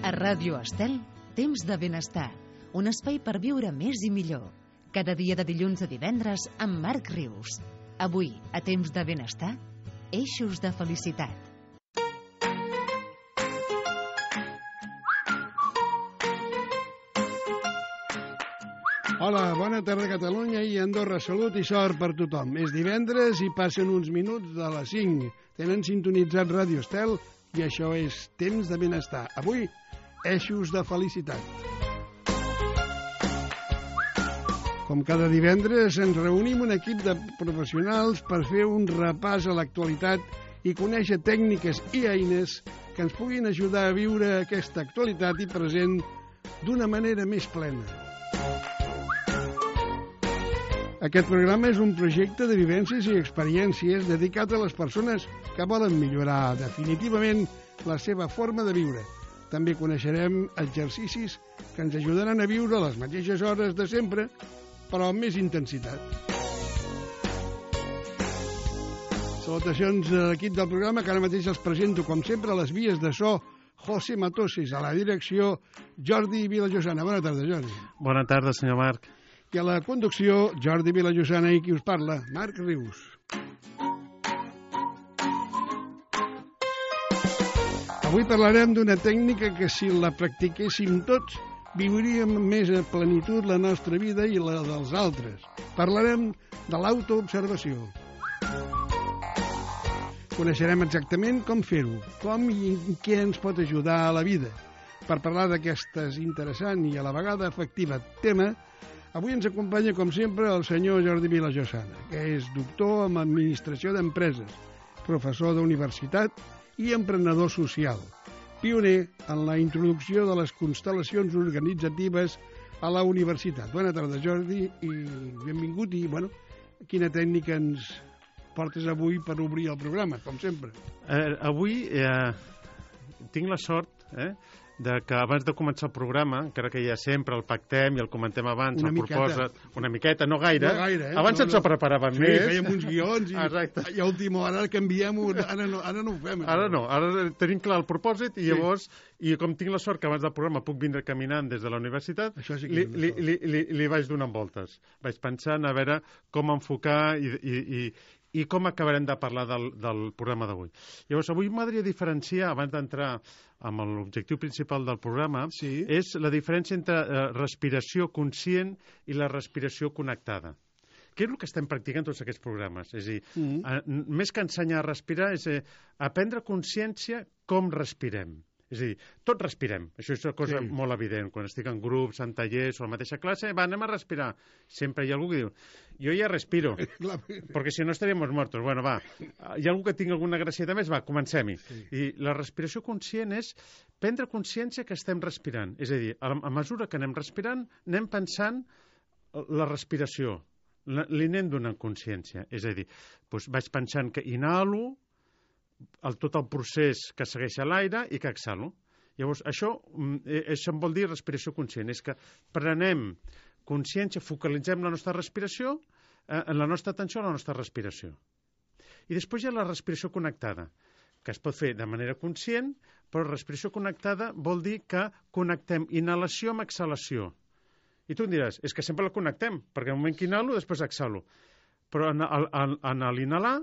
A Ràdio Estel, Temps de Benestar, un espai per viure més i millor. Cada dia de dilluns a divendres amb Marc Rius. Avui, a Temps de Benestar, eixos de felicitat. Hola, bona tarda Catalunya i Andorra. Salut i sort per tothom. És divendres i passen uns minuts de les 5. Tenen sintonitzat Ràdio Estel i això és Temps de Benestar. Avui, eixos de felicitat. Com cada divendres, ens reunim un equip de professionals per fer un repàs a l'actualitat i conèixer tècniques i eines que ens puguin ajudar a viure aquesta actualitat i present d'una manera més plena. Aquest programa és un projecte de vivències i experiències dedicat a les persones que volen millorar definitivament la seva forma de viure. També coneixerem exercicis que ens ajudaran a viure les mateixes hores de sempre, però amb més intensitat. Salutacions a l'equip del programa, que ara mateix els presento, com sempre, a les vies de so, José Matoses, a la direcció, Jordi Vilallosana. Bona tarda, Jordi. Bona tarda, senyor Marc. I a la conducció, Jordi Vilallosana i qui us parla, Marc Rius. Avui parlarem d'una tècnica que, si la practiquéssim tots, viuríem més a plenitud la nostra vida i la dels altres. Parlarem de l'autoobservació. Coneixerem exactament com fer-ho, com i què ens pot ajudar a la vida. Per parlar d'aquest interessant i a la vegada efectiva tema, avui ens acompanya, com sempre, el senyor Jordi Vilallosana, que és doctor en Administració d'Empreses, professor d'universitat i emprenedor social, pioner en la introducció de les constel·lacions organitzatives a la universitat. Bona tarda, Jordi, i benvingut. I, quina tècnica ens portes avui per obrir el programa, com sempre? Avui tinc la sort de que abans de començar el programa, encara que ja sempre el pactem i el comentem abans, una miqueta, no gaire. No gaire, abans ens ho preparàvem més. Sí, fèiem uns guions i a última hora canviem-ho, ara no ho fem. Ara no, ara tenim clar el propòsit i llavors, i com tinc la sort que abans del programa puc vindre caminant des de la universitat, li vaig donant voltes. Vaig pensant a veure com enfocar i com acabarem de parlar del programa d'avui. Llavors, avui m'agradaria diferenciar, abans d'entrar amb l'objectiu principal del programa, és la diferència entre respiració conscient i la respiració connectada. Què és el que estem practicant tots aquests programes? És a dir, més que ensenyar a respirar, és aprendre consciència com respirem. És a dir, tots respirem. Això és una cosa molt evident. Quan estic en grups, en tallers o a la mateixa classe, anem a respirar. Sempre hi ha algú que diu, jo ja respiro, perquè si no estaríem mortos. Bueno, va, hi ha algú que tingui alguna gracieta més? Va, comencem-hi. I la respiració conscient és prendre consciència que estem respirant. És a dir, a mesura que anem respirant, anem pensant la respiració. Li anem donant consciència. És a dir, vaig pensant que inhalo, tot el procés que segueix a l'aire i que exhalo. Llavors, això em vol dir respiració conscient, és que prenem consciència, focalitzem la nostra respiració, en la nostra atenció a la nostra respiració. I després hi ha la respiració connectada, que es pot fer de manera conscient, però respiració connectada vol dir que connectem inhalació amb exhalació. I tu em diràs, és que sempre la connectem, perquè en el moment que inhalo, després exhalo. Però en l'inhalar,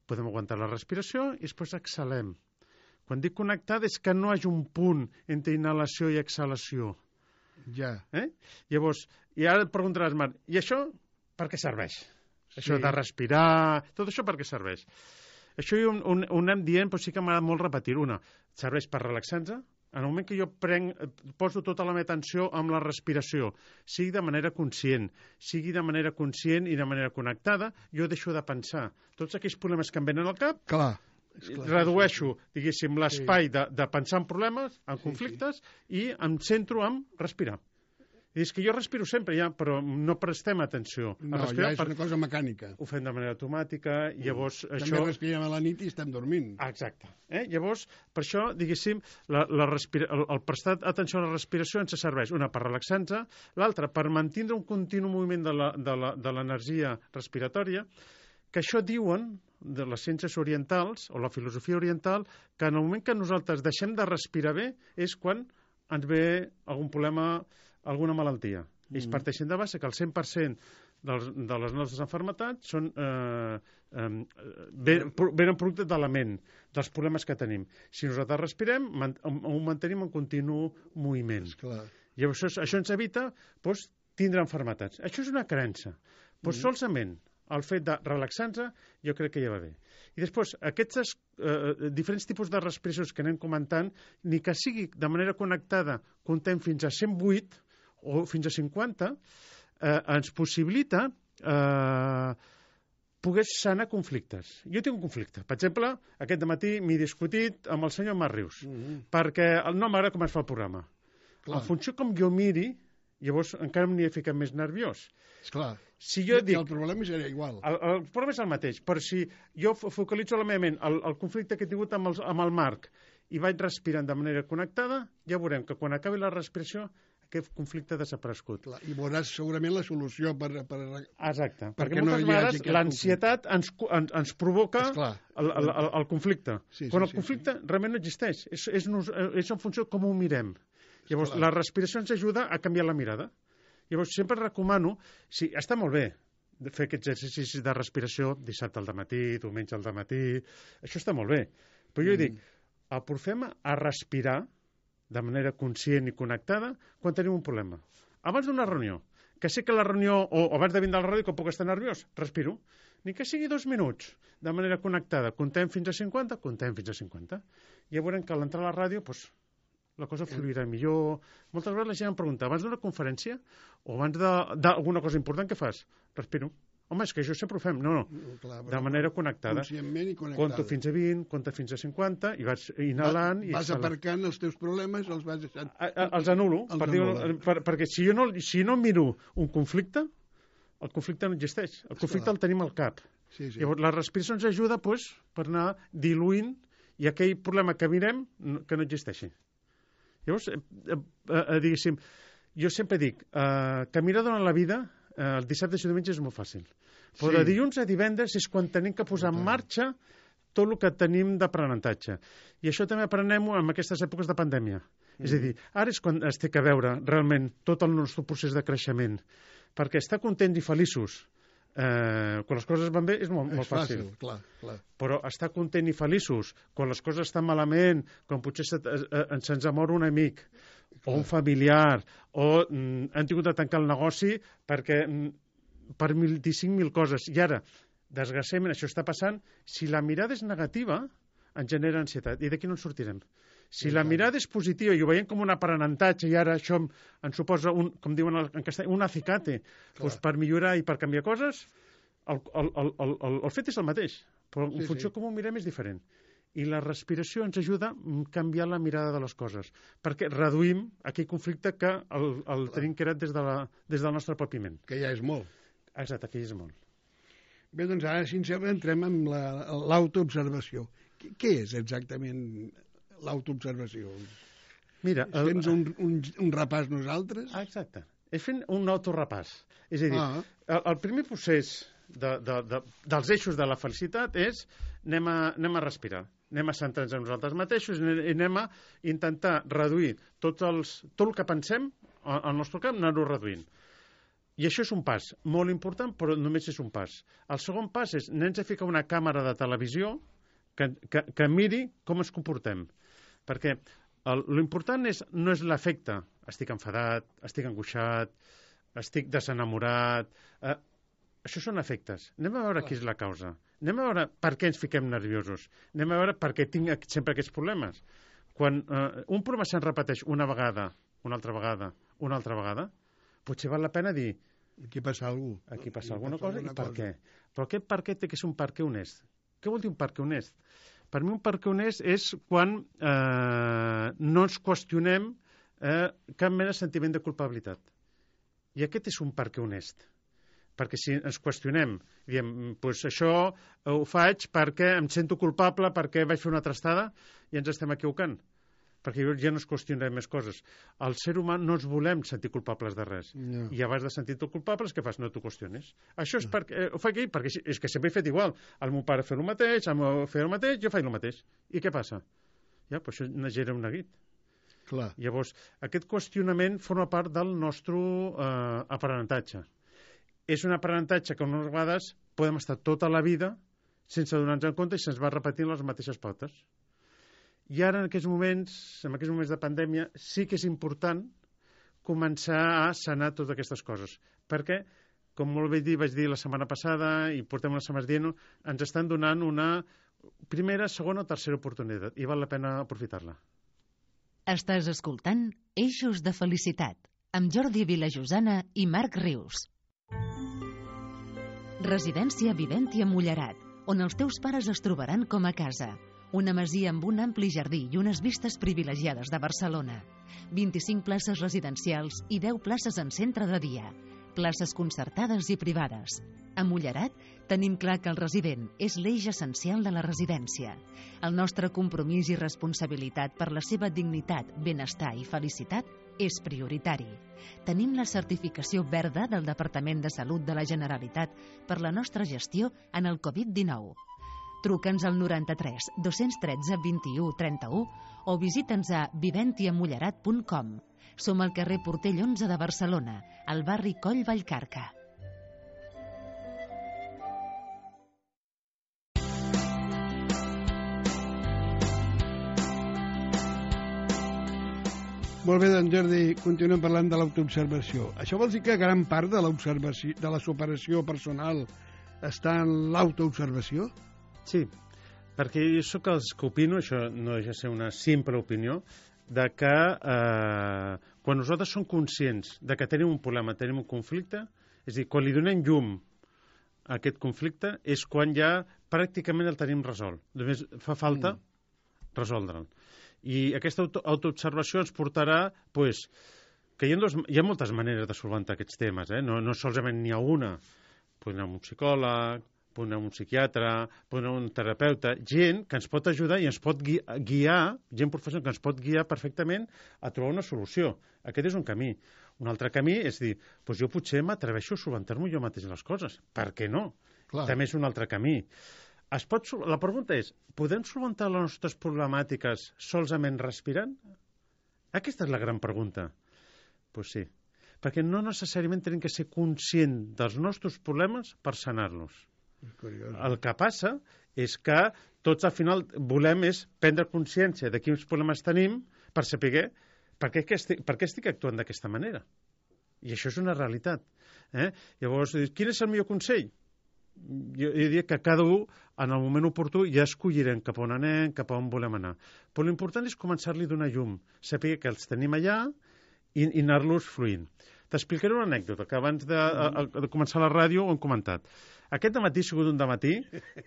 podem aguantar la respiració i després exhalem. Quan dic connectada és que no hi hagi un punt entre inhalació i exhalació. Ja. Llavors, i ara et preguntaràs, Marc, i això per què serveix? Això de respirar, tot això per què serveix? Això ho anem dient, però sí que m'agrada molt repetir. Una, serveix per relaxar-nos. En el moment que jo poso tota la meva atenció amb la respiració, sigui de manera conscient i de manera connectada, jo deixo de pensar. Tots aquells problemes que em venen al cap, redueixo, diguéssim, l'espai de pensar en problemes, en conflictes, i em centro en respirar. I és que jo respiro sempre ja, però no prestem atenció. No, ja és una cosa mecànica. Ho fem de manera automàtica, llavors això... També respirem a la nit i estem dormint. Exacte. Llavors, per això, diguéssim, el prestar atenció a la respiració ens serveix, una, per relaxar-nos, l'altra, per mantindre un continu moviment de l'energia respiratòria, que això diuen de les ciències orientals o la filosofia oriental que en el moment que nosaltres deixem de respirar bé és quan ens ve algun problema, alguna malaltia. Ells parteixen de base que el 100% de les nostres malalties són venen producte de la ment, dels problemes que tenim. Si nosaltres respirem, ho mantenim en continu moviment. Llavors, això ens evita tindre malalties. Això és una creença. Solament el fet de relaxar-nos jo crec que ja va bé. I després, aquests diferents tipus de respiracions que anem comentant, ni que sigui de manera connectada, comptem fins a 108 o fins a 50, ens possibilita poder sanar conflictes. Jo tinc un conflicte. Per exemple, aquest matí m'he discutit amb el senyor Marc Rius, perquè no m'agrada com es fa el programa. En funció com jo miri, llavors encara m'hi he ficat més nerviós. Esclar. Si jo dic, el problema seria igual. El problema és el mateix, però si jo focalitzo la meva ment el conflicte que he tingut amb el Marc i vaig respirant de manera connectada, ja veurem que quan acabi la respiració aquest conflicte ha desaparegut. I veuràs segurament la solució per... Exacte, perquè moltes vegades l'ansietat ens provoca el conflicte. Quan el conflicte realment no existeix, és en funció de com ho mirem. Llavors, la respiració ens ajuda a canviar la mirada. Llavors, sempre recomano, sí, està molt bé fer aquests exercicis de respiració dissabte al dematí, diumenge al dematí, això està molt bé. Però jo dic, aportem a respirar de manera conscient i connectada quan tenim un problema. Abans d'una reunió, que sé que la reunió, o abans de vindre a la ràdio, que puc estar nerviós, respiro. Ni que sigui 2 minuts, de manera connectada. Contem fins a 50, contem fins a 50. Ja veurem que a l'entrar a la ràdio, doncs, la cosa fluirà millor. Moltes vegades la gent em pregunta, abans d'una conferència o abans d'alguna cosa important, què fas? Respiro. Home, és que això sempre ho fem. No, de manera connectada. Conscientment i connectada. Conto fins a 20, conto fins a 50 i vas inhalant i vas aparcant els teus problemes, els vas deixant... Els anulo, perquè si jo no miro un conflicte, el conflicte no existeix. El conflicte el tenim al cap. Llavors, la respiració ens ajuda per anar diluint i aquell problema que mirem que no existeixi. Llavors, diguéssim, jo sempre dic, caminar durant la vida, el dissabte i diumenge és molt fàcil. Però de dilluns a divendres és quan tenim que posar en marxa tot el que tenim d'aprenentatge. I això també aprenem en aquestes èpoques de pandèmia. És a dir, ara és quan es té que veure realment tot el nostre procés de creixement. Perquè estar contents i feliços quan les coses van bé és molt fàcil. Clar. Però estar content i feliços quan les coses estan malament, quan potser se'ns mor un amic o un familiar o han tingut de tancar el negoci perquè per 25.000 coses. I ara, desgraciadament, això està passant. Si la mirada és negativa, ens genera ansietat. I d'aquí no en sortirem. Si la mirada és positiva i ho veiem com un aprenentatge i ara això ens suposa, com diuen en castellà, un acicate, per millorar i per canviar coses, el fet és el mateix, però en funció com ho mirem és diferent. I la respiració ens ajuda a canviar la mirada de les coses, perquè reduïm aquell conflicte que el tenim creat des del nostre propi ment. Que ja és molt. Exacte, que ja és molt. Bé, doncs ara, si ens sembla, entrem amb l'autoobservació. Què és exactament l'autoobservació? Mira, tens un repàs nosaltres? Exacte. És fent un autorepàs. És a dir, el primer procés dels eixos de la felicitat és anem a respirar, anem a centrar-nos en nosaltres mateixos i anem a intentar reduir tot el que pensem al nostre camp, anar-ho reduint. I això és un pas molt important, però només és un pas. El segon pas és anem a ficar una càmera de televisió que miri com ens comportem. Perquè l'important no és l'efecte. Estic enfadat, estic angoixat, estic desenamorat. Això són efectes. Anem a veure qui és la causa. Anem a veure per què ens fiquem nerviosos. Anem a veure per què tinc sempre aquests problemes. Quan un problema se'n repeteix una vegada, una altra vegada, una altra vegada, potser val la pena dir... Aquí passa alguna cosa. Aquí passa alguna cosa i per què. Però aquest per què té que ser un per què honest. Què vol dir un per què honest? Per mi un per què honest és quan no ens qüestionem cap mena de sentiment de culpabilitat. I aquest és un per què honest. Perquè si ens qüestionem, diem, doncs això ho faig perquè em sento culpable, perquè vaig fer una trastada i ens estem equivocant. perquè llavors ja no es qüestionarem més coses. El ser humà no ens volem sentir culpables de res. No. I abans de sentir-te culpables, què fas? No t'ho qüestionis. Això és perquè... Ho faig perquè és que sempre he fet igual. El meu pare fa el mateix, el meu fer el mateix, jo faig el mateix. I què passa? Ja, per això genera un neguit. Clar. Llavors, aquest qüestionament forma part del nostre aprenentatge. És un aprenentatge que unes vegades podem estar tota la vida sense donar-nos en compte i se'ns va repetint les mateixes pautes. I ara, en aquests moments de pandèmia, sí que és important començar a sanar totes aquestes coses. Perquè, com molt bé vaig dir la setmana passada, i portem unes setmanes dient-ho, ens estan donant una primera, segona o tercera oportunitat, i val la pena aprofitar-la. Estàs escoltant Eixos de Felicitat, amb Jordi Vilajosana i Marc Rius. Residència Viventia Mullerat, on els teus pares es trobaran com a casa. Una masia amb un ampli jardí i unes vistes privilegiades de Barcelona. 25 places residencials i 10 places en centre de dia. Places concertades i privades. A Mullerat tenim clar que el resident és l'eix essencial de la residència. El nostre compromís i responsabilitat per la seva dignitat, benestar i felicitat és prioritari. Tenim la certificació verda del Departament de Salut de la Generalitat per la nostra gestió en el Covid-19. Truca'ns al 93 213 21 31 o visita'ns a viventiamullerat.com. Som al carrer Portell 11 de Barcelona, al barri Coll Vallcarca. Molt bé, doncs, Jordi, continuem parlant de l'autoobservació. Això vol dir que gran part de l'observació, de la superació personal està en l'autoobservació? Sí, perquè jo sóc els que opino, això no deixa de ser una simple opinió, de que quan nosaltres som conscients de que tenim un problema, tenim un conflicte, és a dir, quan li donem llum a aquest conflicte és quan ja pràcticament el tenim resolt. Només fa falta resoldre'l. I aquesta autoobservació ens portarà que hi ha moltes maneres de solventar aquests temes, no solament n'hi ha una. Podem anar a un psicòleg, podem anar a un psiquiatre, podem anar a un terapeuta, gent que ens pot ajudar i ens pot guiar, gent professional que ens pot guiar perfectament a trobar una solució. Aquest és un camí. Un altre camí és dir, jo potser m'atreveixo a solventar-m'ho jo mateix les coses. Per què no? Clar. També és un altre camí. La pregunta és, podem solventar les nostres problemàtiques solament respirant? Aquesta és la gran pregunta. Doncs sí, perquè no necessàriament tenim que ser conscient dels nostres problemes per sanar-los. El que passa és que tots al final volem és prendre consciència de quins problemes tenim per saber per què estic actuant d'aquesta manera. I això és una realitat. Llavors, quin és el millor consell? Jo diria que cada un, en el moment oportú, ja escollirem cap on anem, cap on volem anar. Però l'important és començar-li a donar llum, saber que els tenim allà i anar-los fluint. T'explicaré una anècdota que abans de començar la ràdio ho hem comentat. Aquest dematí ha sigut un dematí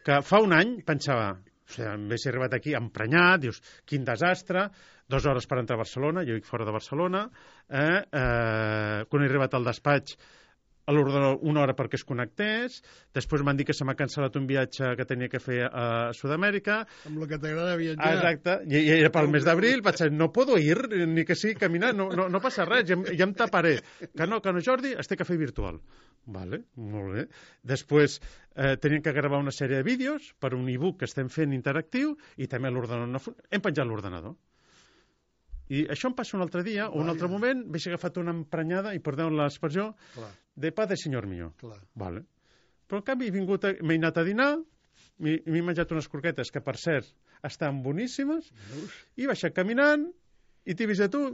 que fa un any pensava, em hagués arribat aquí emprenyat, dius, quin desastre, 2 hores per entrar a Barcelona, jo vic fora de Barcelona, quan he arribat al despatx a l'ordenador 1 hora perquè es connectés, després m'han dit que se m'ha cancel·lat un viatge que tenia que fer a Sud-amèrica. Amb el que t'agrada viatjar. Exacte, i era pel mes d'abril, vaig dir, no puedo ir, ni que sigui caminar, no passa res, ja em taparé. Que no, Jordi, es té que fer virtual. Vale, molt bé. Després teníem que gravar una sèrie de vídeos per un e-book que estem fent interactiu i també l'ordenador. Hem penjat l'ordenador. I això em passa un altre dia o un altre moment, m'he agafat una emprenyada, i perdeu l'expressió, de pa de senyor mío. Vale. Però en canvi m'he anat a dinar, m'he menjat unes croquetes que, per cert, estan boníssimes, i he baixat caminant, i t'he vist a tu,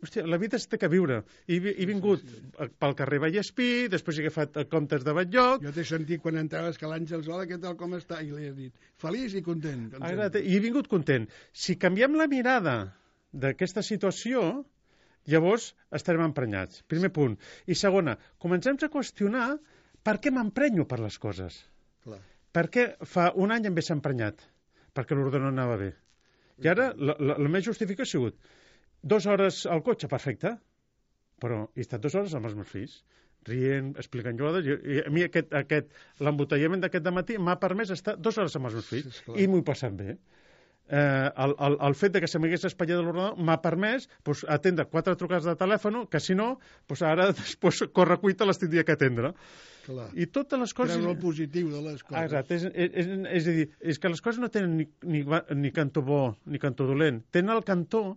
hòstia, la vida es té que viure. He vingut pel carrer Vallespí, després he agafat comptes de Batllloc. Jo t'he sentit quan entraves que l'Àngels, hola, què tal, com està? I li has dit, feliç i content. I he vingut content. Si canviem la mirada d'aquesta situació, llavors estarem emprenyats. Primer punt. I segona, comencem a qüestionar per què m'emprenyo per les coses. Per què fa un any em ve emprenyat? Perquè l'ordenador anava bé. I ara la meva justificació ha sigut 2 hores al cotxe, perfecte, però he estat 2 hores amb els meus fills, rient, explicant jugades, i a mi l'embotellament d'aquest dematí m'ha permès estar 2 hores amb els meus fills, i m'ho he passat bé. el fet que se m'hagués espatllat l'ordenador m'ha permès atendre 4 trucades de telèfon que, si no, ara després corre cuita les tindria que atendre. Clar. I totes les coses... Treure el positiu de les coses. Exacte. És a dir, és que les coses no tenen ni cantó bo ni cantó dolent. Tenen el cantó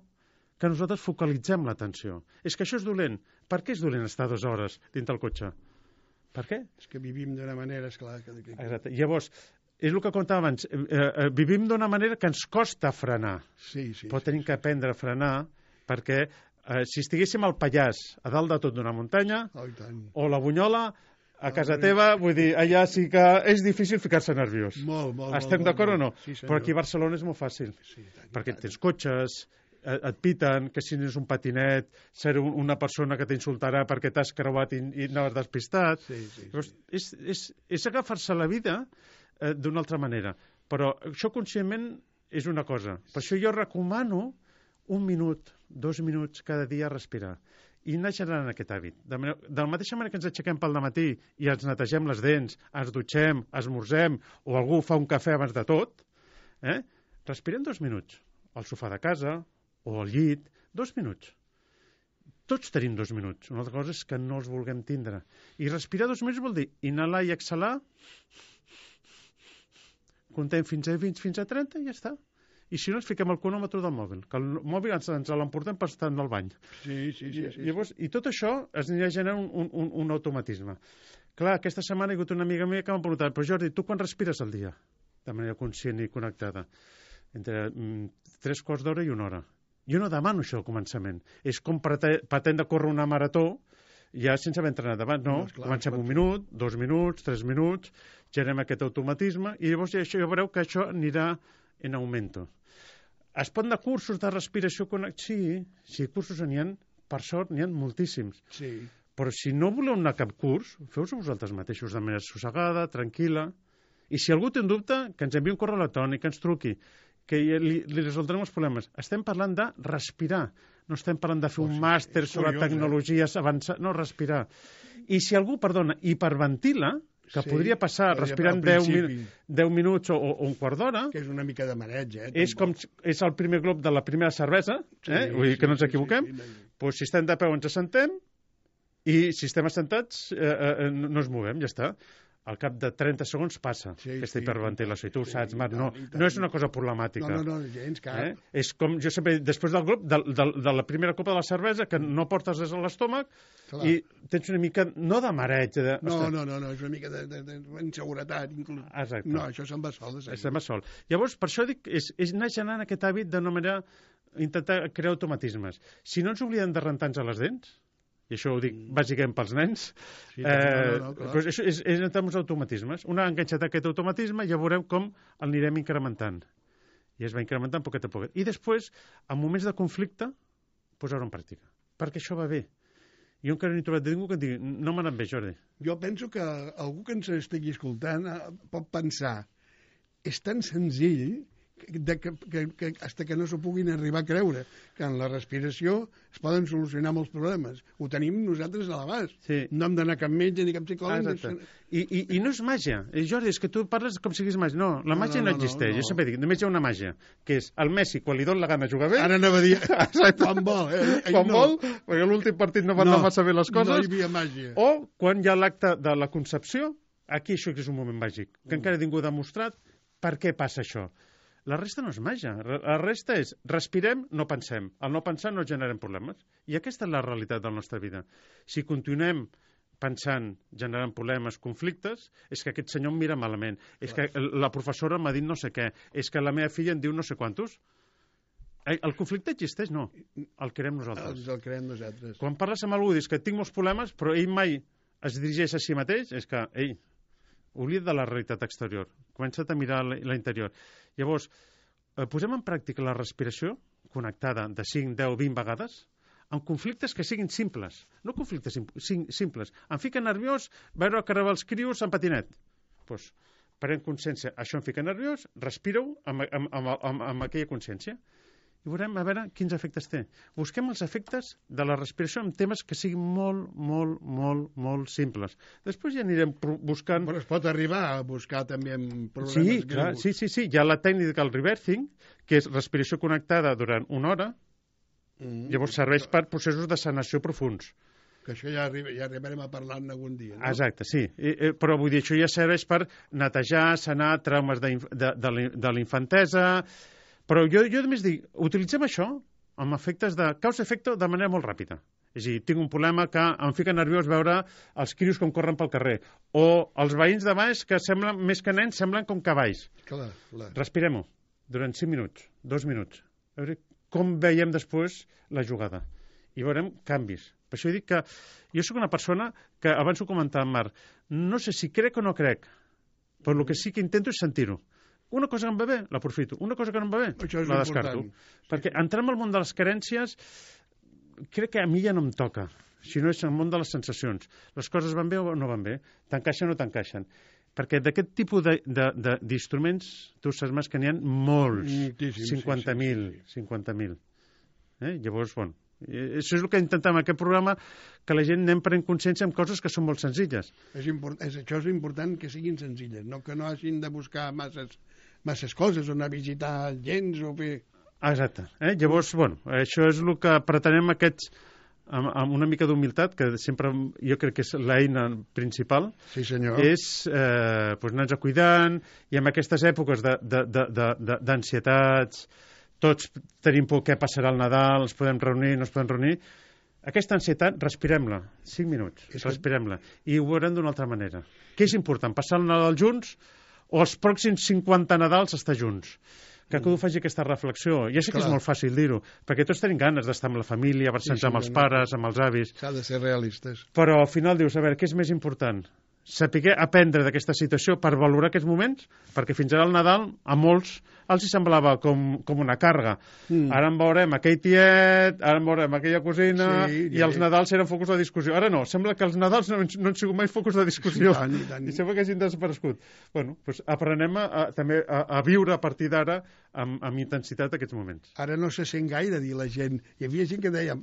que nosaltres focalitzem l'atenció. És que això és dolent. Per què és dolent estar 2 hores dintre el cotxe? Per què? És que vivim d'una manera, esclar... Exacte. Llavors, és el que contava abans, vivim d'una manera que ens costa frenar. Sí. Però tenim que aprendre a frenar perquè si estiguéssim al Pallars, a dalt de tot d'una muntanya, o la Bunyola, a casa teva, vull dir, allà sí que és difícil ficar-se nerviós. Molt. Estem d'acord o no? Sí, senyor. Però aquí a Barcelona és molt fàcil. Sí, perquè tens cotxes, et piten, que si és un patinet, ser una persona que t'insultarà perquè t'has creuat i anaves despistat. Sí. Llavors, és agafar-se la vida d'una altra manera. Però això conscientment és una cosa. Per això jo recomano 1 minut, 2 minuts cada dia a respirar. I anar generant aquest hàbit. De la mateixa manera que ens aixequem pel dematí i ens netegem les dents, ens dutxem, esmorzem, o algú fa un cafè abans de tot, respirem 2 minuts. Al sofà de casa o al llit, 2 minuts. Tots tenim 2 minuts. Una altra cosa és que no els vulguem tindre. I respirar 2 minuts vol dir inhalar i exhalar, contem fins a 20, fins a 30 i ja està. I si no, ens fiquem el cronòmetre del mòbil, que el mòbil ens l'emportem per estar al bany. Sí. Llavors, i tot això es anirà generant un automatisme. Clar, aquesta setmana hi ha hagut una amiga meva que m'ha preguntat, però Jordi, tu quan respires al dia? De manera conscient i connectada. Entre 3 quarts d'hora i 1 hora. Jo no demano això al començament. És com pretendre córrer una marató ja sense haver entrenat abans, no? Comencem 1 minut, 2 minuts, 3 minuts, generem aquest automatisme i llavors ja veureu que això anirà en augmento. Es pot anar a cursos de respiració connectada? Sí, cursos n'hi ha, per sort, n'hi ha moltíssims. Sí. Però si no voleu anar a cap curs, feu-ho vosaltres mateixos de manera sossegada, tranquil·la. I si algú té un dubte, que ens enviï un correu electrònic, que ens truqui, que li resoldrem els problemes. Estem parlant de respirar. No estem parlant de fer un màster sobre tecnologies avançades. No, respirar. I si algú, hiperventila, que podria passar respirant 10 minuts o un quart d'hora... Que és una mica de mareig, És el primer glop de la primera cervesa, vull dir que no ens equivoquem. Doncs si estem de peu ens assentem i si estem assentats no ens movem, ja està. Al cap de 30 segons passa aquesta hiperventilació. I tu ho saps, Marc, no és una cosa problemàtica. No, gens cap. És com, jo sempre dic, després del glop, de la primera copa de la cervesa, que no portes des a l'estómac, i tens una mica, no de mareig... No, és una mica d'inseguretat. Exacte. No, això se'n va sol. Se'n va sol. Llavors, per això dic, és anar generant aquest hàbit d'una manera, intentar crear automatismes. Si no ens oblidem de rentar-nos les dents, i això ho dic bàsicament pels nens, doncs això és entrar en uns automatismes. Una enganxat aquest automatisme ja veurem com el anirem incrementant. I es va incrementant poquet a poquet. I després, en moments de conflicte, posar-ho en pràctica. Perquè això va bé. Jo encara no he trobat ningú que em digui no m'ha anat bé, Jordi. Jo penso que algú que ens estigui escoltant pot pensar és tan senzill que hasta que no s'ho puguin arribar a creure, que en la respiració es poden solucionar molts problemes. Ho tenim nosaltres a l'abast. Sí. No hem d'anar a cap metge ni cap psicòleg. I no és màgia. Jordi, és que tu parles com si digués màgia. No, la màgia no existeix. Jo sempre dic, només hi ha una màgia, que és el Messi, quan li dona la gana jugar bé... Ara anava a dir, quan vol. Quan vol, perquè l'últim partit no van anar massa bé les coses. No hi havia màgia. O quan hi ha l'acte de la concepció, aquí això és un moment màgic, que encara ningú ha demostrat per què passa això. La resta no és màgia. La resta és respirem, no pensem. Al no pensar no generem problemes. I aquesta és la realitat de la nostra vida. Si continuem pensant, generant problemes, conflictes, és que aquest senyor em mira malament. És que la professora m'ha dit no sé què. És que la meva filla em diu no sé quantos. El conflicte existeix? No. El creem nosaltres. El creem nosaltres. Quan parles amb algú i dius que tinc molts problemes, però ell mai es dirigeix a si mateix, és que, oblida't de la realitat exterior. Comença't a mirar l'interior. Llavors, posem en pràctica la respiració connectada de 5, 10, 20 vegades en conflictes que siguin simples. No conflictes simples. Em fica nerviós veure creuar els crios en patinet. Doncs pren consciència. Això em fica nerviós, respira-ho amb aquella consciència. i veurem a veure quins efectes té. Busquem els efectes de la respiració en temes que siguin molt simples. Després ja anirem buscant... Però es pot arribar a buscar també en programes greus. Sí. Hi ha la tècnica del reversing, que és respiració connectada durant 1 hora, llavors serveix per processos de sanació profuns. Que això ja arribarem a parlar-ne algun dia, no? Exacte, sí. Però vull dir, això ja serveix per netejar, sanar traumes de la infantesa. Però jo només dic, utilitzem això amb efectes de causa-efecte de manera molt ràpida. És a dir, tinc un problema que em fica nerviós veure els crios com corren pel carrer. O els veïns de baix que semblen, més que nens, semblen com cavalls. Clar. Respirem-ho durant 5 minuts, 2 minuts. A veure com veiem després la jugada. I veurem canvis. Per això dic que jo sóc una persona que, abans ho comentava amb Marc, no sé si crec o no crec, però el que sí que intento és sentir-ho. Una cosa que em va bé, l'aprofito. Una cosa que no em va bé, la descarto. Perquè entrar en el món de les carències crec que a mi ja no em toca, si no és el món de les sensacions. Les coses van bé o no van bé, t'encaixen o no t'encaixen. Perquè d'aquest tipus d'instruments, tu saps més que n'hi ha molts, 50.000. Llavors, bueno, això és el que intentem en aquest programa, que la gent anem prenent consciència amb coses que són molt senzilles. Això és important, que siguin senzilles, no que no hagin de buscar masses coses, o anar a visitar gens o fer... Exacte. Llavors, bueno, això és el que pretenem amb una mica d'humilitat, que sempre jo crec que és l'eina principal. Sí, senyor. És anar-nos cuidant, i en aquestes èpoques d'ansietats, tots tenim por què passarà el Nadal, ens podem reunir, no ens podem reunir. Aquesta ansietat, respirem-la, 5 minuts, respirem-la, i ho veurem d'una altra manera. Què és important, passar el Nadal junts o els pròxims 50 Nadals estar junts? Que cadascú faci aquesta reflexió. Ja sé que és molt fàcil dir-ho, perquè tots tenim ganes d'estar amb la família, abraçar-nos amb els pares, amb els avis. S'ha de ser realistes. Però al final dius, a veure, què és més important? Saber aprendre d'aquesta situació per valorar aquests moments, perquè fins ara el Nadal a molts els hi semblava com una càrrega. Ara en veurem aquell tiet, ara en veurem aquella cosina, i els Nadals eren focus de discussió. Ara no, sembla que els Nadals no han sigut mai focus de discussió. I sembla que hagin desaparegut. Bueno, doncs aprenem també a viure a partir d'ara amb intensitat aquests moments. Ara no se sent gaire dir la gent. Hi havia gent que deia...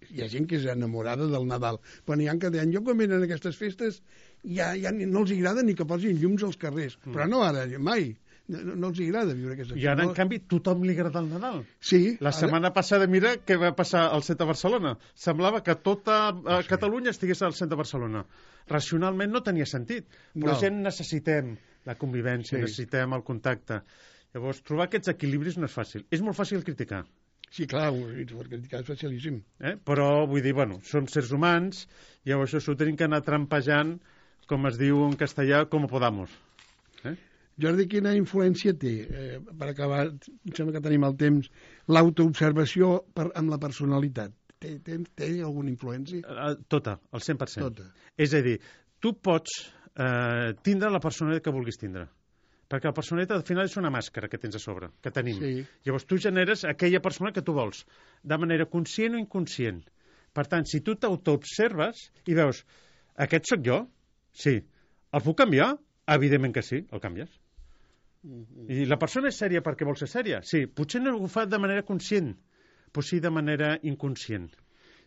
Hi ha gent que és enamorada del Nadal, però n'hi ha que deien, jo quan venen aquestes festes ja no els agrada ni que posin llums als carrers, però no ara, mai. No els agrada viure aquestes festes. I ara, en canvi, tothom li agrada el Nadal. Sí. La setmana passada, mira què va passar al centre de Barcelona. Semblava que tota Catalunya estigués al centre de Barcelona. Racionalment no tenia sentit, però gent necessitem la convivència, necessitem el contacte. Llavors, trobar aquests equilibris no és fàcil. És molt fàcil criticar. Sí, clar, per criticar és facilíssim. Però, vull dir, bueno, som sers humans, llavors això ho tenim que anar trampejant, com es diu en castellà, com podamos. Jordi, quina influència té, per acabar, em sembla que tenim el temps, l'autoobservació amb la personalitat? Té alguna influència? Tota, el 100%. Tota. És a dir, tu pots tindre la personalitat que vulguis tindre, perquè la personalitat al final és una màscara que tens a sobre, que tenim. Sí. Llavors tu generes aquella persona que tu vols, de manera conscient o inconscient. Per tant, si tu t'autoobserves i veus, aquest sóc jo? Sí. El puc canviar? Evidentment que sí, el canvies. I la persona és sèria perquè vol ser sèria? Sí. Potser no ho fa de manera conscient, però sí de manera inconscient.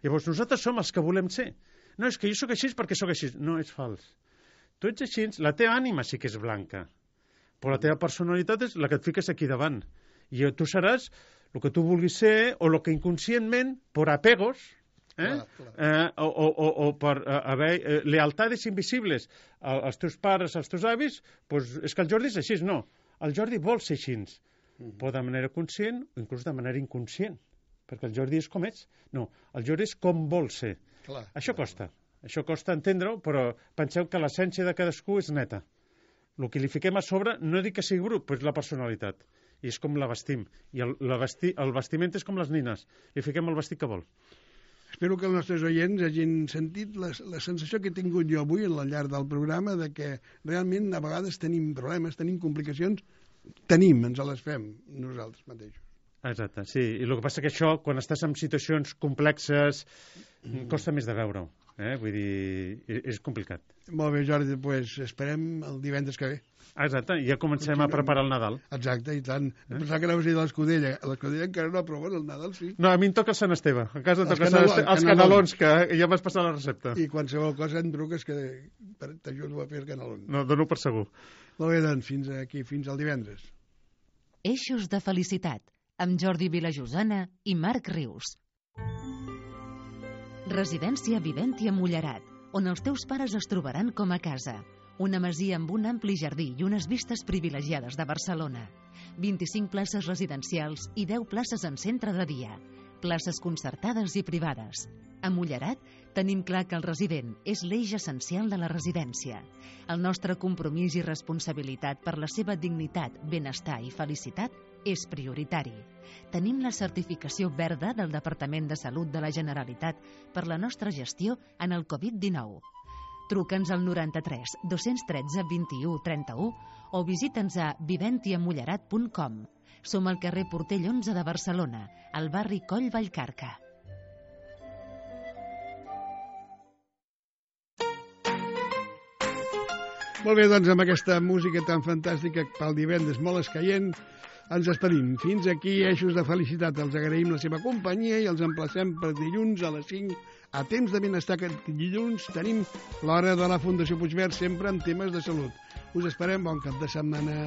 Llavors nosaltres som els que volem ser. No, és que jo sóc així perquè sóc així. No, és fals. Tu ets així, la teva ànima sí que és blanca, però la teva personalitat és la que et fiques aquí davant. I tu seràs el que tu vulguis ser o el que inconscientment, per apegos, o per haver lealtades invisibles als teus pares, als teus avis, doncs és que el Jordi és així. No, el Jordi vol ser així, però de manera conscient o inclús de manera inconscient, perquè el Jordi és com ets. No, el Jordi és com vol ser. Això costa entendre-ho, però penseu que l'essència de cadascú és neta. El que li fiquem a sobre no dic que sigui brut, però és la personalitat. I és com la vestim. I el vestiment és com les nines. Li fiquem el vestit que vol. Espero que els nostres oients hagin sentit la sensació que he tingut jo avui al llarg del programa de que realment a vegades tenim problemes, tenim complicacions, ens les fem nosaltres mateixos. Exacte, sí. I el que passa que això, quan estàs en situacions complexes, costa més de veure-ho. Vull dir, és complicat. Molt bé, Jordi, doncs esperem el divendres que ve. Exacte, ja comencem a preparar el Nadal. Exacte, i tant. Pensava que anaves a dir de l'Escudella. A l'Escudella encara no, però bueno, el Nadal sí. No, a mi em toca Sant Esteve. A casa toca els canelons, que ja m'has passat la recepta. I qualsevol cosa em truques que t'ajudo a fer el canelón. No, dono per segur. Molt bé, doncs, fins aquí, fins al divendres. Eixos de felicitat, amb Jordi Vilajosana i Marc Rius. Residència Viventia Mullerat, on els teus pares es trobaran com a casa. Una masia amb un ampli jardí i unes vistes privilegiades de Barcelona. 25 places residencials i 10 places en centre de dia. Places concertades i privades. A Mullerat tenim clar que el resident és l'eix essencial de la residència. El nostre compromís i responsabilitat per la seva dignitat, benestar i felicitat és prioritari. Tenim la certificació verda del Departament de Salut de la Generalitat per la nostra gestió en el Covid-19. Truca'ns al 93 213 21 31 o visita'ns a viventiamullerat.com. Som al carrer Portell 11 de Barcelona, al barri Coll Vallcarca. Molt bé, doncs amb aquesta música tan fantàstica pel divendres molt escaient, ens despedim. Fins aquí, Eixos de Felicitat. Els agraïm la seva companyia i els emplacem per dilluns a les 5 a Temps de Benestar. Aquest dilluns tenim l'hora de la Fundació Puigverd, sempre amb temes de salut. Us esperem, bon cap de setmana.